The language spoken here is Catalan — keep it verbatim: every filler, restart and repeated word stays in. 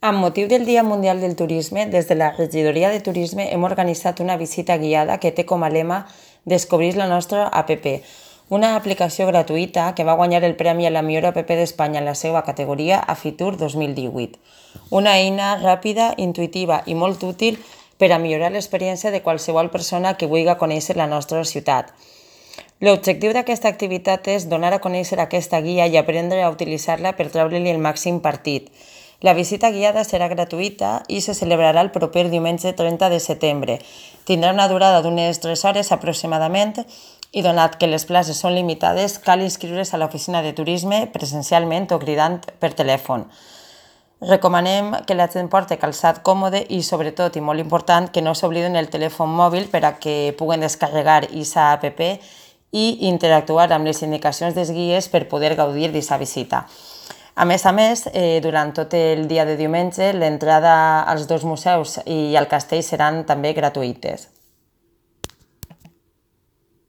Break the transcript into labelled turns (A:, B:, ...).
A: Amb motiu del Dia Mundial del Turisme, des de la Regidoria de Turisme hem organitzat una visita guiada que té com a lema Descobrir la nostra app, una aplicació gratuïta que va guanyar el Premi a la millor app d'Espanya en la seva categoria a Fitur dos mil divuit. Una eina ràpida, intuïtiva i molt útil per a millorar l'experiència de qualsevol persona que vulgui conèixer la nostra ciutat. L'objectiu d'aquesta activitat és donar a conèixer aquesta guia i aprendre a utilitzar-la per treure-li el màxim partit. La visita guiada serà gratuïta i se celebrarà el proper diumenge trenta de setembre. Tindrà una durada d'unes tres hores aproximadament i donat que les places són limitades, cal inscriure's a l'oficina de turisme presencialment o cridant per telèfon. Recomanem que la gent porti calçat còmode i, sobretot, i molt important, que no s'obliden el telèfon mòbil per a que puguen descarregar aquesta app i interactuar amb les indicacions dels guies per poder gaudir d'aquesta visita. A més a més, eh, durant tot el dia de diumenge, l'entrada als dos museus i al castell seran també gratuïtes.